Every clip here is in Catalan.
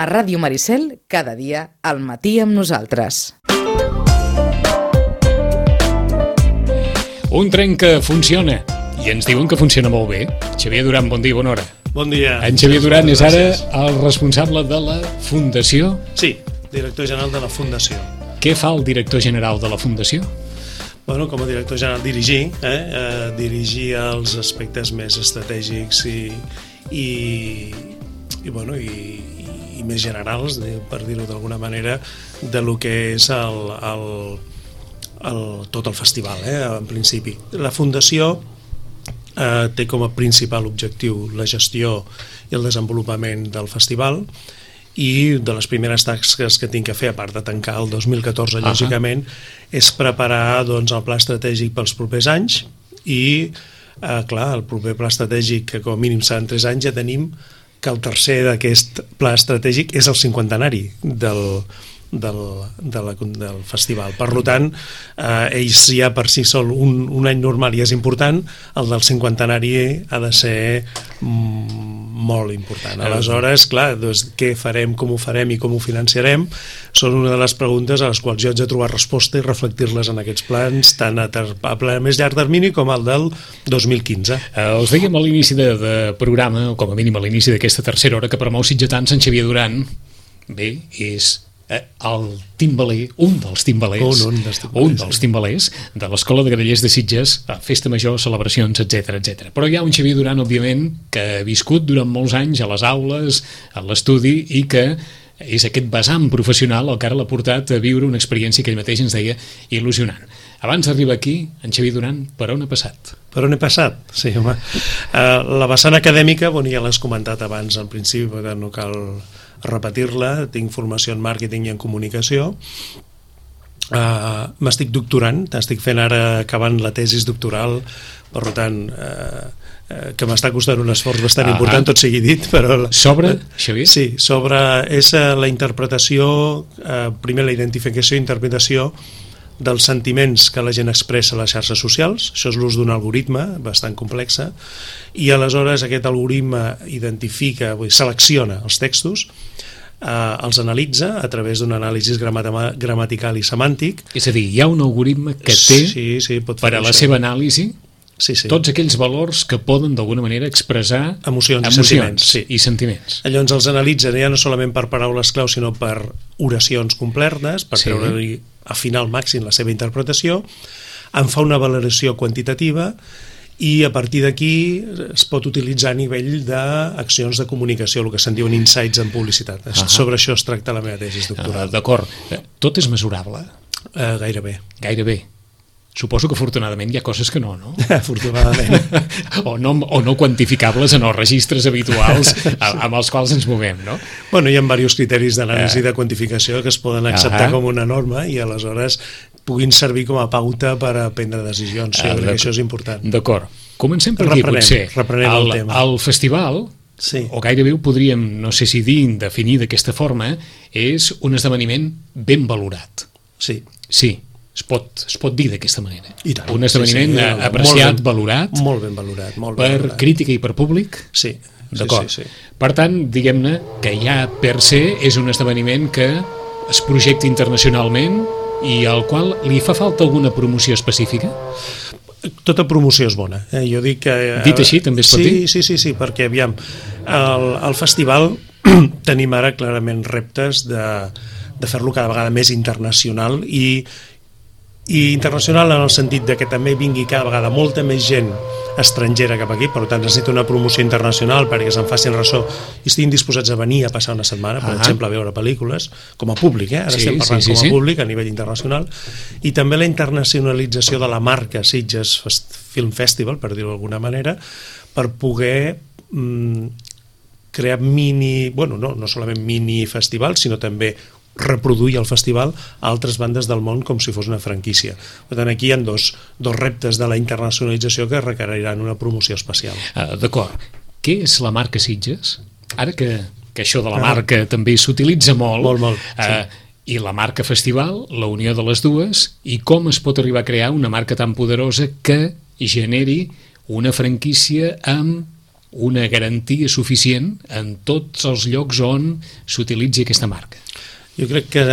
A Ràdio Maricel, cada dia al matí amb nosaltres. Un tren que funciona, i ens diuen que funciona molt bé. Xavier Duran, bon dia, bona hora. Bon dia. En Xavier Duran és ara el responsable de la Fundació? Sí, director general de la Fundació. Què fa el director general de la Fundació? Bueno, com a director general dirigir els aspectes més estratègics i més generals, per dir-ho d'alguna manera, de lo que és tot el festival, en principi. La Fundació té com a principal objectiu la gestió i el desenvolupament del festival, i de les primeres tasques que tinc que fer, a part de tancar el 2014, lògicament, és preparar el pla estratègic pels propers anys i, clar, el proper pla estratègic, que com a mínim seran 3 anys, ja tenim que el tercer d'aquest pla estratègic és el 50enari del festival. Per tant, ells ja per si sol un any normal ja és important, el del 50enari ha de ser molt important. Aleshores, clar, què farem, com ho farem i com ho financiarem són una de les preguntes a les quals jo haig de trobar resposta i reflectir-les en aquests plans, tant a més llarg termini com el del 2015. Us dèiem a l'inici de programa, o com a mínim a l'inici d'aquesta tercera hora, que per molts sitgetans en Xavier Duran, bé, és el timbaler, un dels timbalers de l'Escola de Grallers de Sitges, festa major, celebracions, etc. Però hi ha un Xavier Duran, òbviament, que ha viscut durant molts anys a les aules, a l'estudi, i que és aquest vessant professional el que ara l'ha portat a viure una experiència que ell mateix ens deia il·lusionant. Abans d'arribar aquí, en Xavier Duran, per on ha passat? Per on he passat? Sí, home. La vessant acadèmica, ja l'has comentat abans, al principi, perquè no cal repetir-la. Tinc formació en màrqueting i en comunicació. M'estic doctorant, estic fent ara, acabant la tesis doctoral, per tant, que m'està costant un esforç bastant important, tot sigui dit, però... Sobre, Xavier? Sí, és la interpretació, primer la identificació i interpretació dels sentiments que la gent expressa a les xarxes socials. Això és l'ús d'un algoritme bastant complexa, i aleshores aquest algoritme identifica, selecciona els textos, els analitza a través d'un anàlisi gramatical i semàntic. És a dir, hi ha un algoritme que té per a la seva anàlisi tots aquells valors que poden d'alguna manera expressar emocions i sentiments. Llavors els analitzen ja no solament per paraules clau, sinó per oracions completes, per treure-li a final màxim la seva interpretació, en fa una valoració quantitativa, i a partir d'aquí es pot utilitzar a nivell d'accions de comunicació, el que se'n diuen insights en publicitat. Sobre això es tracta la meva tesis doctoral. D'acord. Tot és mesurable? Gairebé. Gairebé. Suposo que afortunadament hi ha coses que no? Afortunadament. o no quantificables en els registres habituals amb els quals ens movem, no? Hi ha diversos criteris d'anàlisi de quantificació que es poden acceptar com una norma i aleshores puguin servir com a pauta per a prendre decisions. Jo crec que això és important. D'acord. Comencem per aquí, potser. Reprenem el tema. El festival, o gairebé ho podríem, no sé si definir d'aquesta forma, és un esdeveniment ben valorat. Sí. Sí. Es pot dir d'aquesta manera. Un esdeveniment apreciat, valorat. Molt ben valorat. Per crítica i per públic? Sí. D'acord. Per tant, diguem-ne que ja per se és un esdeveniment que es projecta internacionalment i al qual li fa falta alguna promoció específica? Tota promoció és bona. Jo dic que... Dit així, també es pot dir? Sí, perquè, aviam, al festival tenim ara clarament reptes de fer-lo cada vegada més internacional i internacional en el sentit de que també vingui cada vegada molta més gent estrangera cap aquí, per tant necessita una promoció internacional perquè se'n facin ressò i estiguin disposats a venir a passar una setmana, per exemple, a veure pel·lícules, com a públic, ara estem parlant com a públic a nivell internacional, i també la internacionalització de la marca Sitges Film Festival, per dir-ho d'alguna manera, per poder crear no solament mini festivals, sinó també reproduir el festival a altres bandes del món com si fos una franquícia. Per tant, aquí hi ha dos reptes de la internacionalització que requeriran una promoció especial. D'acord. Què és la marca Sitges? Ara que això de la marca també s'utilitza molt, i la marca festival, la unió de les dues, i com es pot arribar a crear una marca tan poderosa que generi una franquícia amb una garantia suficient en tots els llocs on s'utilitzi aquesta marca? Jo crec que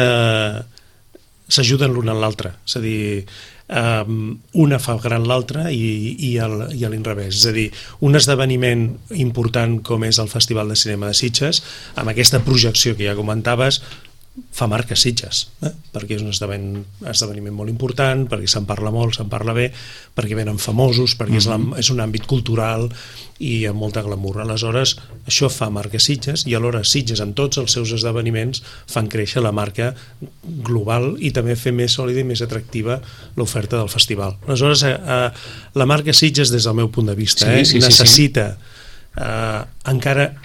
s'ajuden l'un a l'altre, és a dir, una fa gran l'altra i a l'inrevés, és a dir, un esdeveniment important com és el Festival de Cinema de Sitges, amb aquesta projecció que ja comentaves, fa marca Sitges, perquè és un esdeveniment molt important, perquè se'n parla molt, se'n parla bé, perquè venen famosos, perquè és un àmbit cultural i amb molta glamour. Aleshores, això fa marca Sitges i alhora Sitges amb tots els seus esdeveniments fan créixer la marca global i també fer més sòlida i més atractiva l'oferta del festival. Aleshores, la marca Sitges, des del meu punt de vista, necessita encara,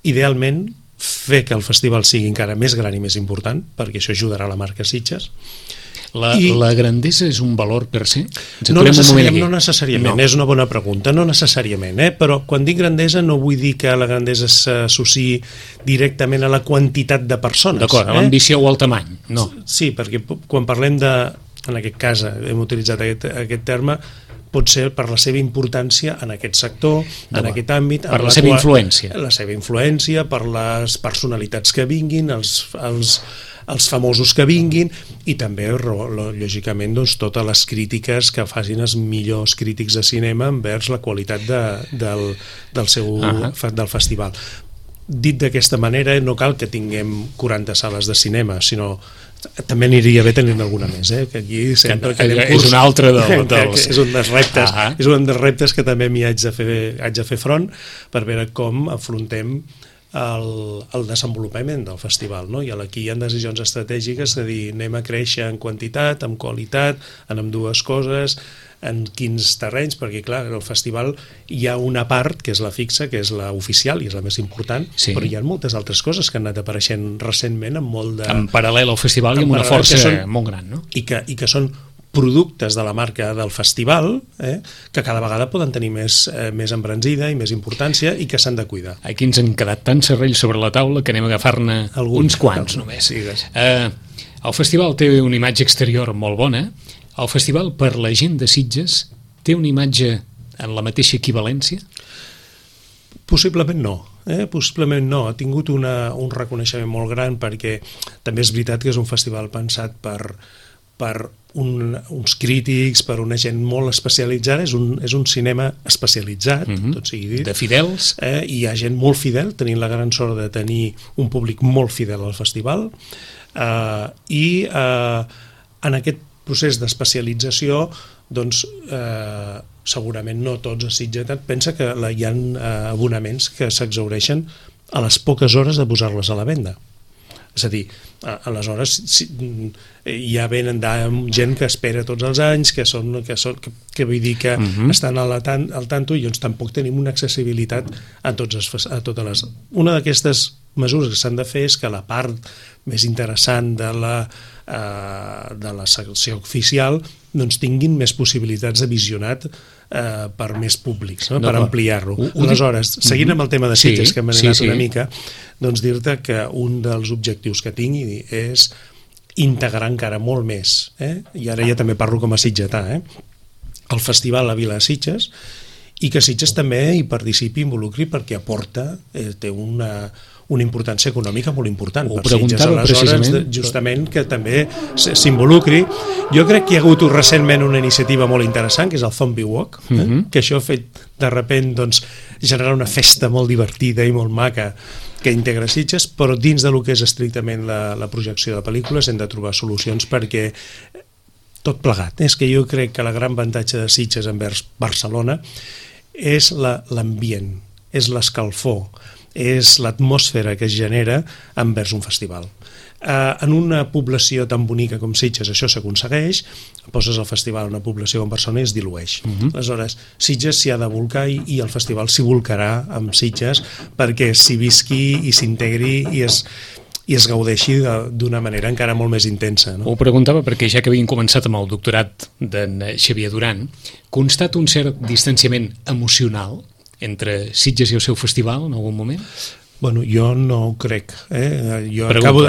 idealment, fer que el festival sigui encara més gran i més important, perquè això ajudarà a la marca Sitges. La grandesa és un valor per se? No necessàriament, és una bona pregunta, no necessàriament, però quan dic grandesa no vull dir que la grandesa s'associï directament a la quantitat de persones. D'acord, a l'ambició o al tamany, no. Sí, perquè quan parlem de, en aquest cas hem utilitzat aquest terme, pot ser per la seva importància en aquest sector, en aquest àmbit, per la seva influència. La seva influència, per les personalitats que vinguin, els famosos que vinguin i també, lògicament, totes les crítiques que facin els millors crítics de cinema envers la qualitat del festival. Dit d'aquesta manera, no cal que tinguem 40 sales de cinema, sinó també aniria bé tenir alguna més, que aquí sempre és un altre dels... és un dels reptes, és un dels reptes que també m'hi haig de fer front per veure com afrontem el desenvolupament del festival, no? I aquí hi ha decisions estratègiques de dir anem a créixer en quantitat, en qualitat, en ambdues coses, en quins terrenys, perquè clar, en el festival hi ha una part que és la fixa, que és la oficial i és la més important, però hi ha moltes altres coses que han anat apareixent recentment amb molt de... En paral·lel al festival i amb una força molt gran, no? I que són productes de la marca del festival que cada vegada poden tenir més embranzida i més importància i que s'han de cuidar. Aquí ens han quedat tants serrells sobre la taula que anem a agafar-ne uns quants només. El festival té una imatge exterior molt bona. El festival, per la gent de Sitges, té una imatge en la mateixa equivalència? Possiblement no. Possiblement no. Ha tingut un reconeixement molt gran perquè també és veritat que és un festival pensat per uns crítics, per una gent molt especialitzada, és un cinema especialitzat, tot sigui dit. De fidels. Hi ha gent molt fidel, tenint la gran sort de tenir un públic molt fidel al festival, i en aquest procés d'especialització, doncs, segurament no tots a Sitges, pensa que hi ha abonaments que s'exhaureixen a les poques hores de posar-les a la venda. És a dir, aleshores ja venen gent que espera tots els anys, que vull dir que estan al tanto i doncs tampoc tenim una accessibilitat a totes les... Una d'aquestes mesures que s'han de fer és que la part més interessant de la secció oficial doncs tinguin més possibilitats de visionat per més públics, per ampliar-lo. Aleshores, seguint amb el tema de Sitges, que hem anat una mica, doncs dir-te que un dels objectius que tingui és integrar encara molt més, i ara ja també parlo com a sitgetà, el festival a Vila de Sitges, i que Sitges també hi participi, involucri, perquè aporta, té una importància econòmica molt important per Sitges, aleshores justament que també s'involucri. Jo crec que hi ha hagut recentment una iniciativa molt interessant que és el Zombie Walk, que això ha fet de sobte generar una festa molt divertida i molt maca que integra Sitges, però dins del que és estrictament la projecció de pel·lícules hem de trobar solucions perquè tot plegat, és que jo crec que la gran avantatge de Sitges envers Barcelona és l'ambient, és l'escalfor, és l'atmosfera que es genera envers un festival. En una població tan bonica com Sitges això s'aconsegueix, poses el festival en una població com Barcelona i es dilueix. Aleshores, Sitges s'hi ha de volcar i el festival s'hi volcarà amb Sitges perquè s'hi visqui i s'integri i es gaudeixi d'una manera encara molt més intensa. Ho preguntava perquè ja que havien començat amb el doctorat d'en Xavier Duran, constata un cert distanciament emocional entre Sitges i el seu festival en algun moment? Bueno, jo no ho crec. Jo pregunto,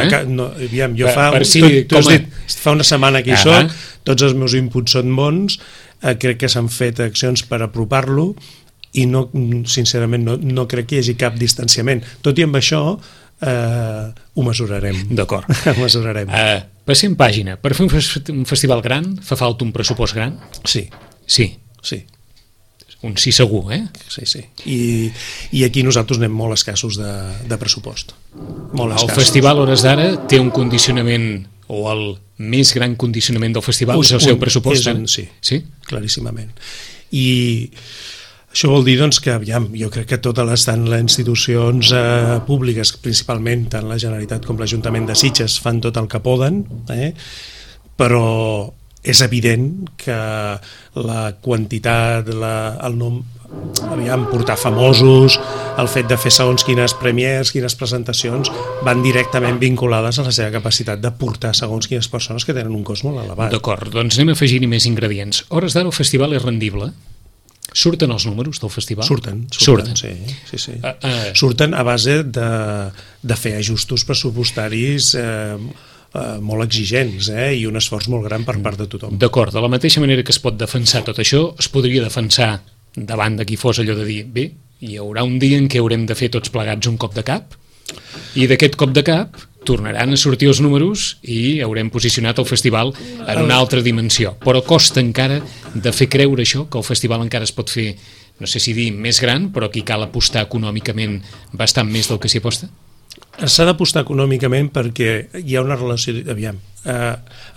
fa una setmana que hi soc, tots els meus inputs són bons, crec que s'han fet accions per apropar-lo i no, sincerament no crec que hi hagi cap distanciament. Tot i amb això ho mesurarem. D'acord. Ho mesurarem. Passem pàgina. Per fer un festival gran fa falta un pressupost gran? Sí. Sí. Un sí segur, Sí. I aquí nosaltres anem molt escassos de pressupost. El festival, a hores d'ara, té un condicionament, o el més gran condicionament del festival és el seu pressupost? Sí, claríssimament. I això vol dir doncs, que, jo crec que totes tant les institucions públiques, principalment tant la Generalitat com l'Ajuntament de Sitges, fan tot el que poden, però és evident que la quantitat, el nom, portar famosos, el fet de fer segons quines premiers, quines presentacions, van directament vinculades a la seva capacitat de portar segons quines persones que tenen un cost molt elevat. D'acord, doncs anem a afegir-hi més ingredients. A hores d'ara el festival és rendible? Surten els números del festival? Surten. Sí. Surten a base de fer ajustos pressupostaris molt exigents i un esforç molt gran per part de tothom. D'acord, de la mateixa manera que es pot defensar tot això, es podria defensar davant de qui fos allò de dir, bé, hi haurà un dia en què haurem de fer tots plegats un cop de cap, i d'aquest cop de cap tornaran a sortir els números i haurem posicionat el festival en una altra dimensió. Però costa encara de fer creure això, que el festival encara es pot fer, no sé si dir més gran, però aquí cal apostar econòmicament bastant més del que s'hi aposta? S'ha d'apostar econòmicament perquè hi ha una relació...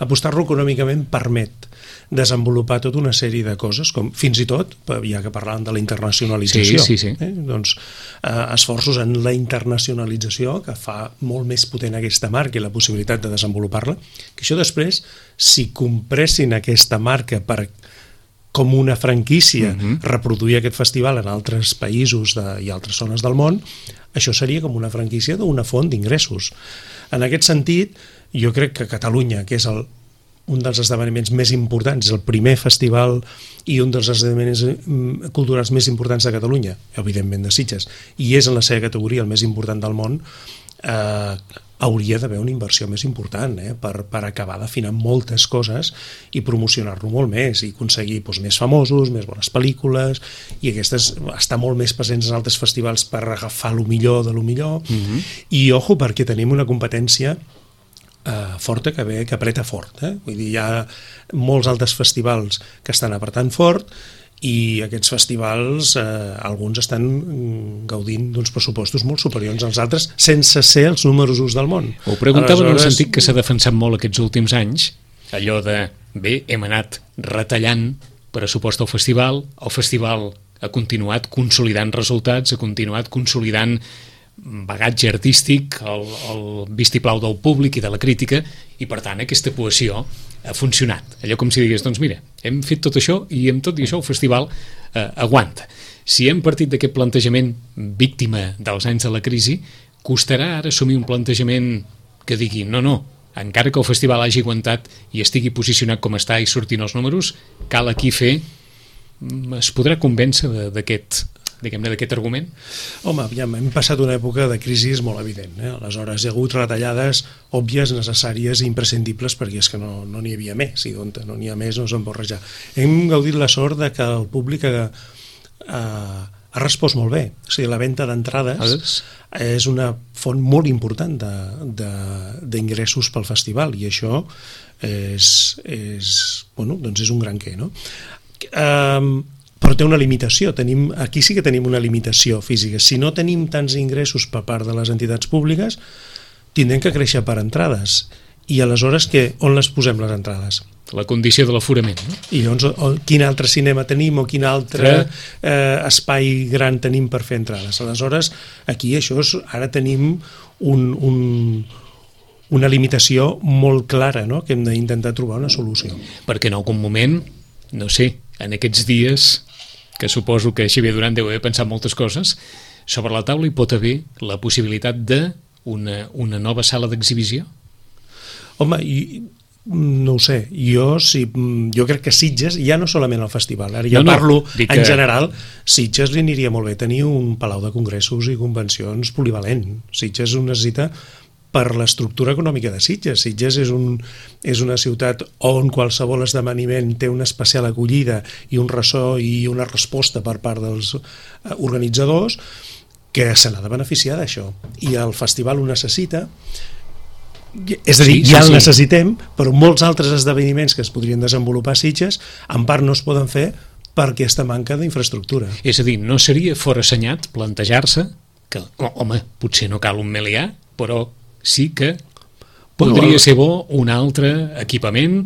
Apostar-lo econòmicament permet desenvolupar tota una sèrie de coses, com fins i tot, ja que parlàvem de la internacionalització, doncs esforços en la internacionalització que fa molt més potent aquesta marca i la possibilitat de desenvolupar-la, que això després, si compressin aquesta marca per com una franquícia reproduir aquest festival en altres països i altres zones del món, això seria com una franquícia d'una font d'ingressos. En aquest sentit, jo crec que Catalunya, que és un dels esdeveniments més importants, el primer festival i un dels esdeveniments culturals més importants de Catalunya, evidentment de Sitges, i és en la seva categoria el més important del món, hauria d'haver una inversió més important per acabar d'afinar moltes coses i promocionar-lo molt més i aconseguir més famosos, més bones pel·lícules, i aquestes estar molt més presents en altres festivals per agafar lo millor de lo millor. I ojo, perquè tenim una competència forta que apreta fort. Vull dir, hi ha molts altres festivals que estan apretant fort i aquests festivals, alguns estan gaudint d'uns pressupostos molt superiors als altres, sense ser els números 1 del món. Ho preguntava en el sentit que s'ha defensat molt aquests últims anys, allò de, bé, hem anat retallant pressupost al festival ha continuat consolidant resultats, ha continuat consolidant bagatge artístic, el vistiplau del públic i de la crítica, i per tant aquesta cohesió ha funcionat. Allò com si digués, doncs mira, hem fet tot això i amb tot i això el festival aguanta. Si hem partit d'aquest plantejament víctima dels anys de la crisi, costarà ara assumir un plantejament que digui no, encara que el festival hagi aguantat i estigui posicionat com està i surtin els números, cal aquí fer... Es podrà convèncer d'aquest argument? Home, hem passat una època de crisi molt evident. Aleshores hi ha hagut retallades òbvies, necessàries i imprescindibles perquè és que no n'hi havia més, i on no n'hi ha més no se'n pot rajar. Hem gaudit la sort de que el públic ha respost molt bé. O sigui, la venda d'entrades és una font molt important d'ingressos pel festival, i això és un gran què, no? Però té una limitació. Aquí sí que tenim una limitació física. Si no tenim tants ingressos per part de les entitats públiques, tindrem que créixer per entrades. I aleshores on les posem les entrades? La condició de l'aforament, no? I llavors, quin altre cinema tenim o quin altre espai gran tenim per fer entrades? Aleshores, aquí ara tenim una limitació molt clara, no?, que hem d'intentar trobar una solució. Perquè en algun moment, no sé, en aquests dies, que suposo que Xavier Duran deu haver pensat moltes coses, sobre la taula hi pot haver la possibilitat d'una nova sala d'exhibició? Home, no ho sé, jo crec que Sitges, ja no solament el festival, ara parlo en general, Sitges li aniria molt bé tenir un palau de congressos i convencions polivalent. Sitges ho necessita per l'estructura econòmica de Sitges. Sitges és una ciutat on qualsevol esdeveniment té una especial acollida i un ressò i una resposta per part dels organitzadors que se n'ha de beneficiar d'això. I el festival ho necessita, és a dir, ja el necessitem, però molts altres esdeveniments que es podrien desenvolupar a Sitges en part no es poden fer per aquesta manca d'infraestructura. És a dir, no seria forassenyat plantejar-se que, home, potser no cal un melià, però sí que podria ser bo un altre equipament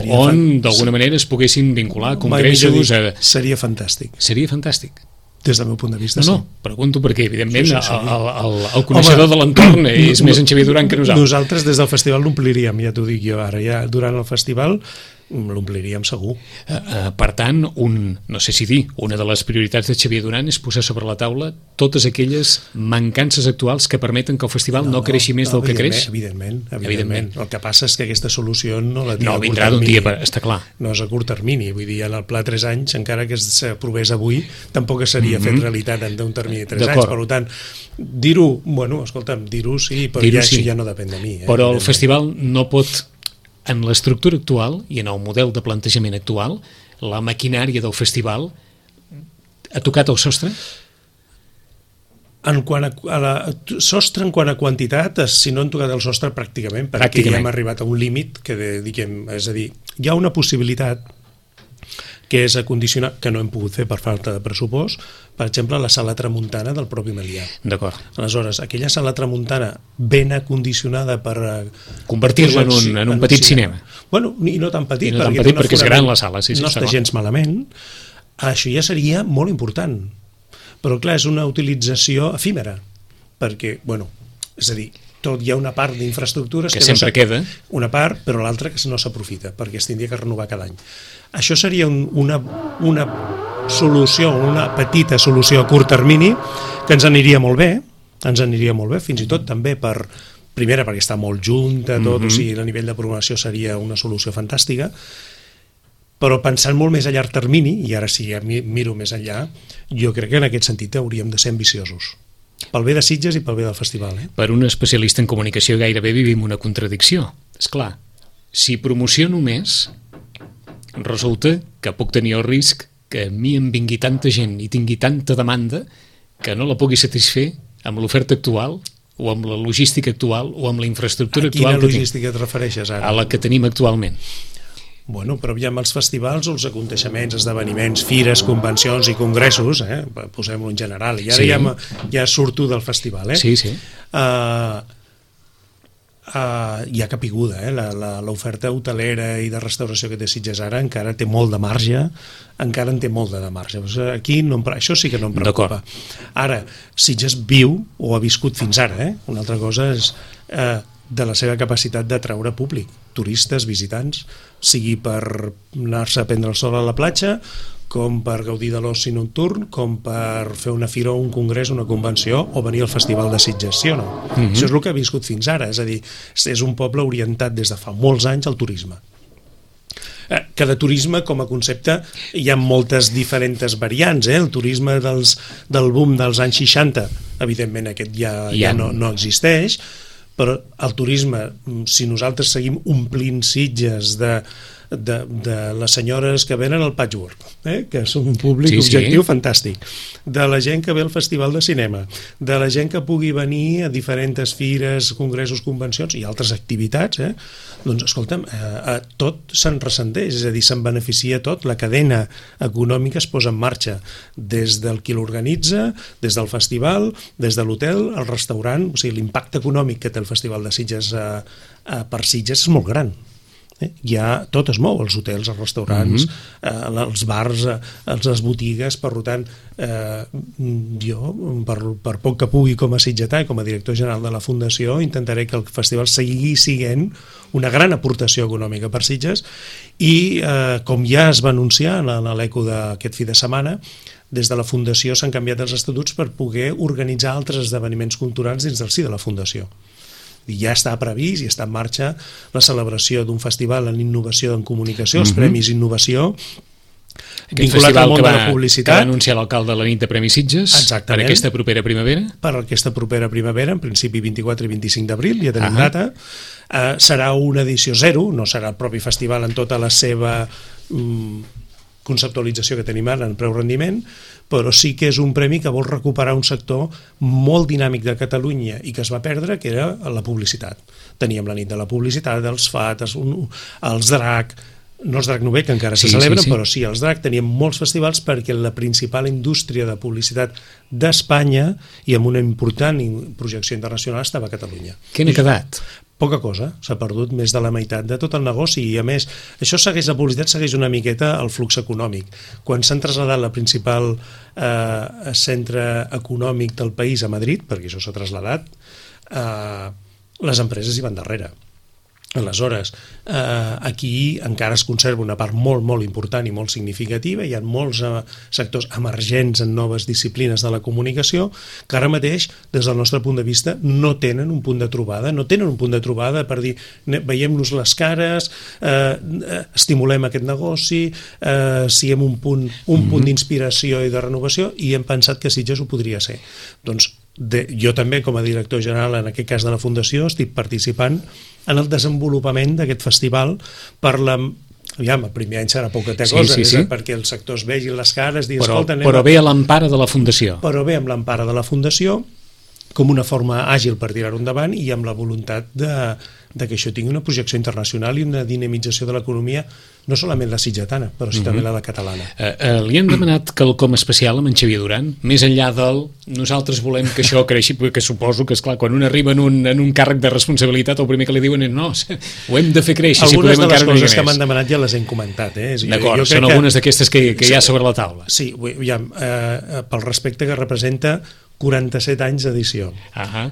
on d'alguna manera es poguessin vincular congressos. Seria fantàstic. Seria fantàstic. Des del meu punt de vista, no, pregunto perquè, evidentment, el coneixedor de l'entorn és més en Xavier Duran que nosaltres. Nosaltres des del festival l'ompliríem, ja t'ho dic jo ara. Ja durant el festival l'ompliríem segur. Per tant, no sé si dir, una de les prioritats de Xavier Duran és posar sobre la taula totes aquelles mancances actuals que permeten que el festival no creixi més del que creix. Evidentment. El que passa és que aquesta solució no la tinc a curt termini. No vindrà d'un dia, està clar. No és a curt termini, vull dir, en el pla 3 anys, encara que s'aprovés avui, tampoc seria fet realitat en un termini de 3 anys. Per tant, dir-ho, bueno, escolta'm, dir-ho sí, però ja no depèn de mi. Però el festival no pot, en l'estructura actual i en el model de plantejament actual, la maquinària del festival ha tocat el sostre? En quant a sostre, en quant a quantitat, si no han tocat el sostre pràcticament, perquè ja hem arribat a un límit que, és a dir, hi ha una possibilitat que és acondicionar, que no hem pogut fer per falta de pressupost, per exemple, la sala tramuntana del propi Melià. D'acord. Aleshores, aquella sala tramuntana ben acondicionada per convertir-la en un petit cinema. Bueno, i no tan petit, perquè és gran la sala. No està gens malament. Això ja seria molt important. Però, clar, és una utilització efímera, perquè, bueno, és a dir, tot hi ha una part d'infraestructures que sempre queda. Una part, però l'altra que no s'aprofita, perquè es tindria que renovar cada any. Això seria una solució, una petita solució a curt termini, que ens aniria molt bé, fins i tot també primera perquè està molt junta, tot, o sigui, a nivell de programació seria una solució fantàstica, però pensant molt més a llarg termini, i ara sí, miro més enllà, jo crec que en aquest sentit hauríem de ser ambiciosos. Pel bé de Sitges i pel bé del festival. Per un especialista en comunicació gairebé vivim una contradicció. És clar, si promociono més, resulta que puc tenir el risc que a mi em vingui tanta gent i tingui tanta demanda que no la pugui satisfer amb l'oferta actual o amb la logística actual o amb la infraestructura actual. A quina logística et refereixes ara? A la que tenim actualment. Bueno, però aviam, els festivals, els aconteixements, esdeveniments, fires, convencions i congressos, posem-ho en general, i ara ja surto del festival. Sí. Hi ha capiguda, l'oferta hotelera i de restauració que té Sitges ara encara té molt de marge, Aquí això sí que no em preocupa. Ara, Sitges viu o ha viscut fins ara, una altra cosa és de la seva capacitat d'atraure públic, turistes, visitants, sigui per anar-se a prendre el sol a la platja, com per gaudir de l'oci nocturn, com per fer una fira o un congrés, una convenció, o venir al Festival de Sitges, sí o no? Això és el que ha viscut fins ara, és a dir, és un poble orientat des de fa molts anys al turisme. Que de turisme, com a concepte, hi ha moltes diferents variants. El turisme del boom dels anys 60, evidentment aquest ja no existeix, però el turisme, si nosaltres seguim omplint Sitges de les senyores que venen al patchwork, que són un públic objectiu fantàstic, de la gent que ve al festival de cinema, de la gent que pugui venir a diferents fires, congressos, convencions i altres activitats, doncs escolta'm, tot se'n ressenteix, és a dir, se'n beneficia tot, la cadena econòmica es posa en marxa des del qui l'organitza, des del festival, des de l'hotel, el restaurant, o sigui, l'impacte econòmic que té el Festival de Sitges per Sitges és molt gran. Tot es mou, els hotels, els restaurants, els bars, les botigues, per tant, jo, per poc que pugui com a sitgetà i com a director general de la Fundació, intentaré que el festival sigui sent una gran aportació econòmica per Sitges i, com ja es va anunciar en l'eco d'aquest fi de setmana, des de la Fundació s'han canviat els estatuts per poder organitzar altres esdeveniments culturals dins del si de la Fundació. Ja està previst i està en marxa la celebració d'un festival en innovació en comunicació, els Premis Innovació, Aquest festival que va anunciar l'alcalde la nit de Premi Sitges. Exactament. Per aquesta propera primavera. Per aquesta propera primavera, en principi 24 i 25 d'abril, ja tenim data. Serà una edició zero, no serà el propi festival en tota la seva conceptualització que tenim ara en preu-rendiment, però sí que és un premi que vol recuperar un sector molt dinàmic de Catalunya i que es va perdre, que era la publicitat. Teníem la nit de la publicitat, els FAT, els DRAC, no els DRAC Nové, que encara se celebren, però sí, els DRAC, teníem molts festivals perquè la principal indústria de publicitat d'Espanya i amb una important projecció internacional estava a Catalunya. Què n'ha quedat? Poca cosa, s'ha perdut més de la meitat de tot el negoci i a més, això segueix, la publicitat segueix una miqueta el flux econòmic. Quan s'han traslladat la principal centre econòmic del país a Madrid, perquè això s'ha traslladat, les empreses hi van darrere. Aleshores, aquí encara es conserva una part molt, molt important i molt significativa, hi ha molts sectors emergents en noves disciplines de la comunicació que ara mateix, des del nostre punt de vista, no tenen un punt de trobada, per dir, veiem-nos les cares, estimulem aquest negoci, siguem un punt d'inspiració i de renovació, i hem pensat que Sitges ho podria ser. Doncs jo també, com a director general, en aquest cas de la Fundació, estic participant en el desenvolupament d'aquest festival per aviam, el primer any serà poca cosa, perquè els sectors vegin les cares, dir, però ve a l'empara de la Fundació. Però ve amb l'empara de la Fundació com una forma àgil per tirar-ho endavant i amb la voluntat de que això tingui una projecció internacional i una dinamització de l'economia, no solament la sitgetana, però sí també la catalana. Li hem demanat quelcom especial amb en Xavier Duran, més enllà del nosaltres volem que això creixi, perquè suposo que, esclar, quan un arriba en un càrrec de responsabilitat, el primer que li diuen és no, ho hem de fer créixer. Algunes de les coses que m'han demanat ja les hem comentat. D'acord, són algunes d'aquestes que hi ha sobre la taula. Sí, pel respecte que representa 47 anys d'edició,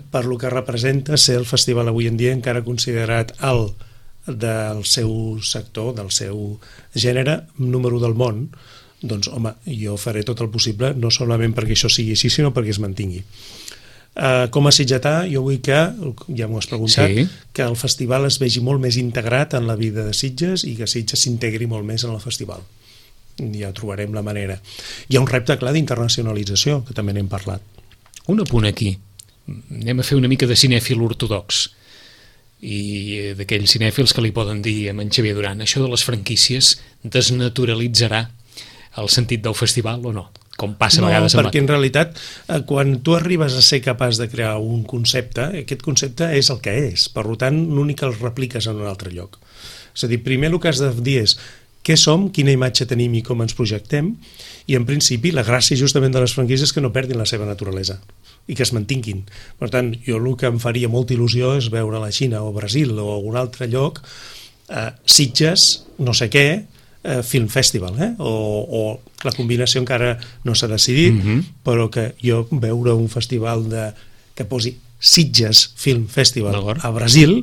per lo que representa ser el festival avui en dia encara considerat alt del seu sector, del seu gènere, número del món, doncs home, jo faré tot el possible no solament perquè això sigui així, sinó perquè es mantingui. Com a sitgetà, jo vull que, ja m'ho has preguntat, que el festival es vegi molt més integrat en la vida de Sitges i que Sitges s'integri molt més en el festival. Ja trobarem la manera. Hi ha un repte clar d'internacionalització, que també n'hem parlat. Un apunt aquí. Anem a fer una mica de cinèfil ortodox i d'aquells cinèfils que li poden dir a en Xavier Duran, això de les franquícies desnaturalitzarà el sentit del festival o no? Com passa a vegades... No, perquè en realitat quan tu arribes a ser capaç de crear un concepte, aquest concepte és el que és, per tant l'únic que el repliques en un altre lloc. És a dir, primer el que has de dir és què som, quina imatge tenim i com ens projectem, i en principi la gràcia justament de les franquícies és que no perdin la seva naturalesa i que es mantinguin. Per tant, jo el que em faria molta il·lusió és veure la Xina o Brasil o algun altre lloc, Sitges, no sé què, Film Festival, o la combinació encara no s'ha decidit, però que jo veure un festival que posi Sitges Film Festival a Brasil,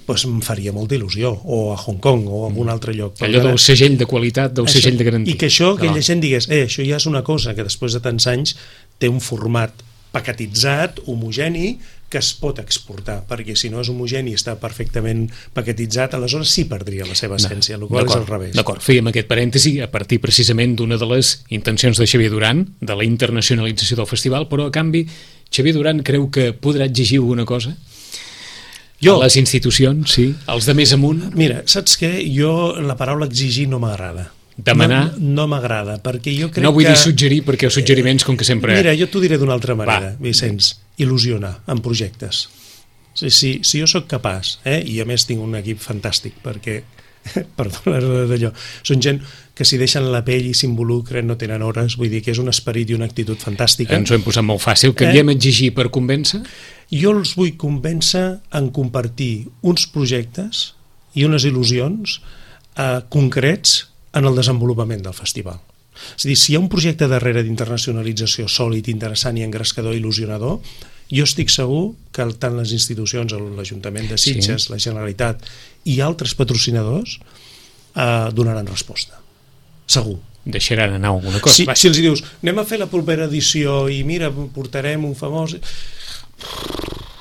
doncs em faria molta il·lusió, o a Hong Kong o a algun altre lloc. Allò del segell de qualitat, del segell de garantia. I que això, que la gent digués, això ja és una cosa que després de tants anys té un format paquetitzat, homogeni, que es pot exportar, perquè si no és homogeni i està perfectament paquetitzat, aleshores sí perdria la seva essència, el qual és al revés. D'acord, fèiem aquest parèntesi a partir precisament d'una de les intencions de Xavier Duran, de la internacionalització del festival, però a canvi Xavier Duran creu que podrà exigir alguna cosa? Jo? A les institucions, sí, els de més amunt? Mira, saps què? Jo la paraula exigir no m'agrada. Demanar? No m'agrada, perquè jo crec que... No vull dir suggerir, perquè els suggeriments, com que sempre... Mira, jo t'ho diré d'una altra manera, Vicenç, il·lusionar en projectes. Si jo sóc capaç, i a més tinc un equip fantàstic, perquè, perdona d'allò, són gent que si deixen la pell i s'involucren, no tenen hores, vull dir que és un esperit i una actitud fantàstica. Ens ho hem posat molt fàcil, canviem exigir per convèncer? Jo els vull convèncer en compartir uns projectes i unes il·lusions concrets en el desenvolupament del festival. És a dir, si hi ha un projecte darrere d'internacionalització sòlid, interessant i engrescador, il·lusionador, jo estic segur que tant les institucions, l'Ajuntament de Sitges, la Generalitat i altres patrocinadors donaran resposta. Segur. Deixaran anar alguna cosa. Si els dius, anem a fer la propera edició i mira, portarem un famós...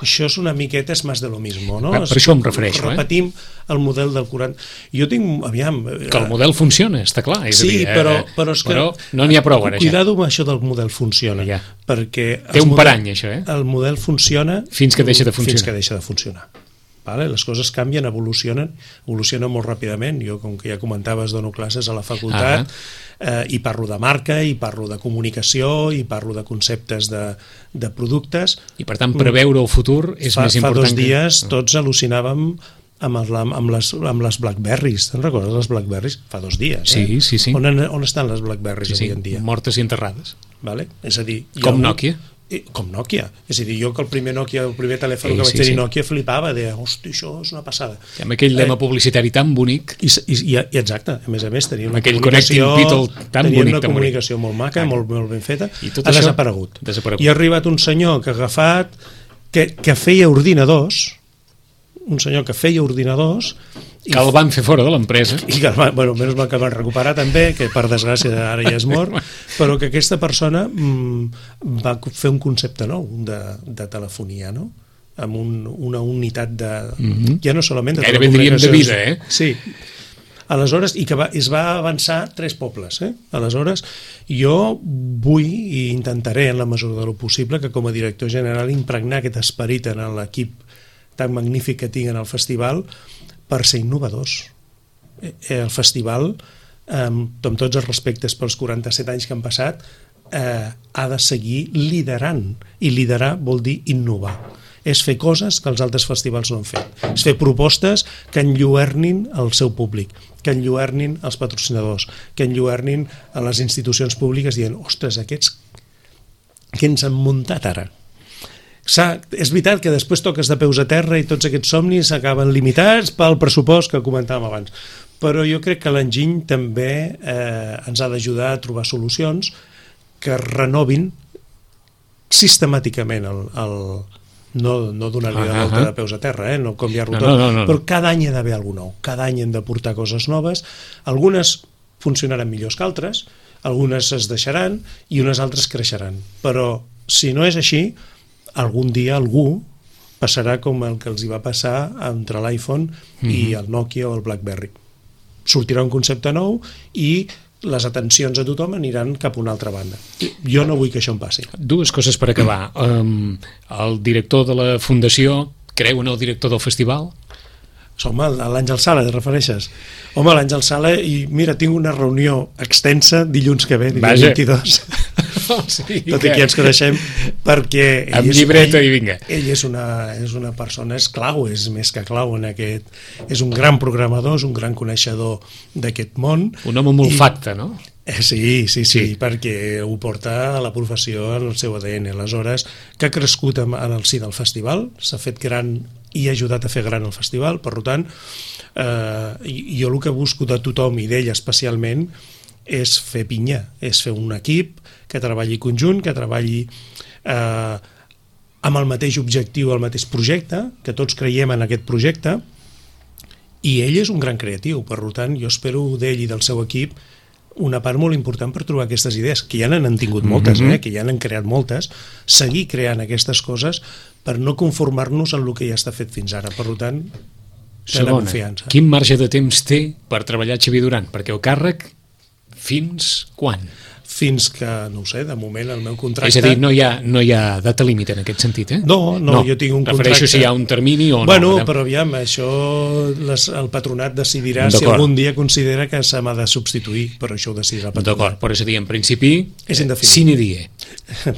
això és una miqueta és més de lo mismo, no? Per això em refereixo. Repetim el model del 40. Jo tinc, aviam... Que el model funciona, està clar. És sí, a dir, però és que... Però no n'hi ha prou, ara. Cuidado amb això del model funciona. Ja. Perquè... Té un parany, això, El model funciona... Fins que deixa de funcionar. Fins que deixa de funcionar. Vale? Les coses canvien, evolucionen molt ràpidament. Jo, com que ja comentaves, dono classes a la facultat i parlo de marca, i parlo de comunicació, i parlo de conceptes de productes. I per tant, preveure el futur és més important. Fa 2 dies tots al·lucinàvem amb les Blackberries. Te'n recordes les Blackberries? Fa 2 dies. Sí. On estan les Blackberries avui en dia? Mortes i enterrades. Vale? És a dir... Com Nokia. Com Nokia. És a dir, jo que el primer telèfon que vaig tenir Nokia flipava, deia, hosti, això és una passada. I amb aquell lema publicitari tan bonic. I exacte, a més tenia una comunicació molt maca, molt ben feta. Ha desaparegut. I ha arribat un senyor que ha agafat, que feia ordinadors, que el van fer fora de l'empresa. I que, menys mal que el van recuperar també, que per desgràcia ara ja és mort, però que aquesta persona va fer un concepte nou de telefonia, no? Amb una unitat de... Ja no solament de gairebé diríem de vida, Sí. Aleshores, i que es va avançar 3 pobles. Aleshores, jo vull i intentaré, en la mesura de lo possible, que com a director general impregnar aquest esperit en l'equip tan magnífic que tinc en el festival, per ser innovadors. El festival, amb tots els respectes pels 47 anys que han passat, ha de seguir liderant, i liderar vol dir innovar. És fer coses que els altres festivals no han fet. És fer propostes que enlluernin el seu públic, que enlluernin els patrocinadors, que enlluernin a les institucions públiques dient, ostres, aquests que ens han muntat ara? És veritat que després toques de peus a terra i tots aquests somnis s'acaben limitats pel pressupost que comentàvem abans, però jo crec que l'enginy també ens ha d'ajudar a trobar solucions que renovin sistemàticament no donar-li la volta de peus a terra, no canviar-lo tot, però cada any hi ha d'haver alguna nou, cada any hem de portar coses noves, algunes funcionaran millors que altres, algunes es deixaran i unes altres creixeran, però si no és així, algun dia algú passarà com el que els hi va passar entre l'iPhone i el Nokia o el BlackBerry. Sortirà un concepte nou i les atencions a tothom aniran cap a una altra banda. Jo no vull que això em passi. 2 coses per acabar. El director de la fundació creu en el director del festival? Home, l'Àngel Sala, te refereixes? Home, l'Àngel Sala, i mira, tinc una reunió extensa dilluns que ve, dilluns 22. Tot i que ens coneixem, perquè amb llibreta i vinga. Ell és una persona, és clau, és més que clau en aquest... És un gran programador, és un gran coneixedor d'aquest món. Un home molt facte, no? Sí, perquè ho porta a la professió en el seu ADN. Aleshores, que ha crescut en el si del festival, s'ha fet gran i ha ajudat a fer gran el festival, per tant, jo el que busco de tothom i d'ell especialment és fer pinya, és fer un equip que treballi conjunt, que treballi amb el mateix objectiu, el mateix projecte, que tots creiem en aquest projecte, i ell és un gran creatiu, per tant, jo espero d'ell i del seu equip una part molt important per trobar aquestes idees, que ja n'han tingut moltes, que ja n'han creat moltes, seguir creant aquestes coses per no conformar-nos en el que ja està fet fins ara. Per tant, segona, confiança. Quin marge de temps té per treballar Xavier Duran? Perquè el càrrec, fins quan? Fins que, no ho sé, de moment el meu contracte... És a dir, no hi ha data límit en aquest sentit, eh? No, jo tinc un contracte... Refereixo si hi ha un termini o no. Bueno, però aviam, això el patronat decidirà si algun dia considera que se m'ha de substituir, però això ho decidirà el patronat. D'acord, però és a dir, en principi, és indefinit. Sine die.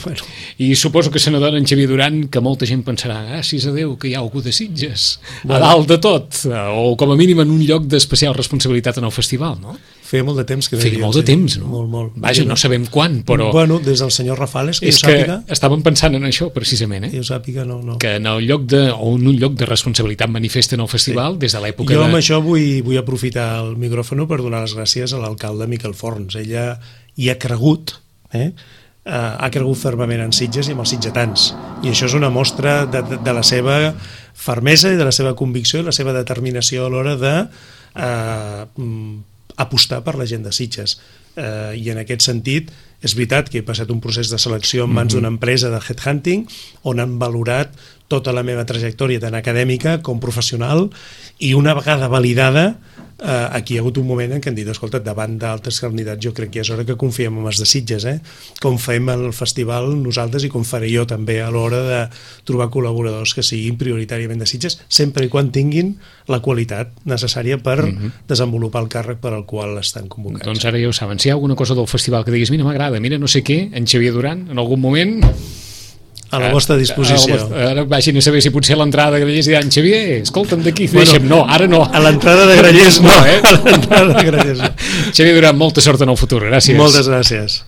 Bueno. I suposo que se n'adona en Xavier Duran que molta gent pensarà, gràcies a Déu que hi ha algú de Sitges, a dalt de tot, o com a mínim en un lloc d'especial responsabilitat en el festival, no? Feia molt de temps que no feia molt de temps, no? Molt. Vaja, no sabem quan, però... Bueno, des del senyor Rafales, que jo sàpiga... És que estàvem pensant en això, precisament, Que jo sàpiga, no. Que en el lloc o en un lloc de responsabilitat manifesta en el festival, des de l'època jo amb això vull aprofitar el micròfon per donar les gràcies a l'alcalde Miquel Forns. Ella hi ha cregut, ha cregut fermament en Sitges i amb els sitgetans. I això és una mostra de la seva fermesa i de la seva convicció i la seva determinació a l'hora de... apostar per la gent de Sitges. i en aquest sentit és veritat que he passat un procés de selecció en mans d'una empresa de headhunting on han valorat tota la meva trajectòria tant acadèmica com professional, i una vegada validada aquí hi ha hagut un moment en què han dit, escolta, davant d'altres candidats jo crec que és hora que confiem en els de Sitges, com fem el festival nosaltres i com faré jo també a l'hora de trobar col·laboradors que siguin prioritàriament de Sitges, sempre i quan tinguin la qualitat necessària per desenvolupar el càrrec per al qual estan convocats. Doncs ara ja ho saben, si hi ha alguna cosa del festival que diguis, mira, m'agrada, mira no sé què, en Xavier Duran, en algun moment... A la vostra disposició. Ara vagin a saber si potser a l'entrada de Grallers diran, Xavier, escolta'm d'aquí, deixa'm. No, ara no. A l'entrada de Grallers no. A l'entrada de Grallers no. Xavier Duran, molta sort en el futur, gràcies. Moltes gràcies.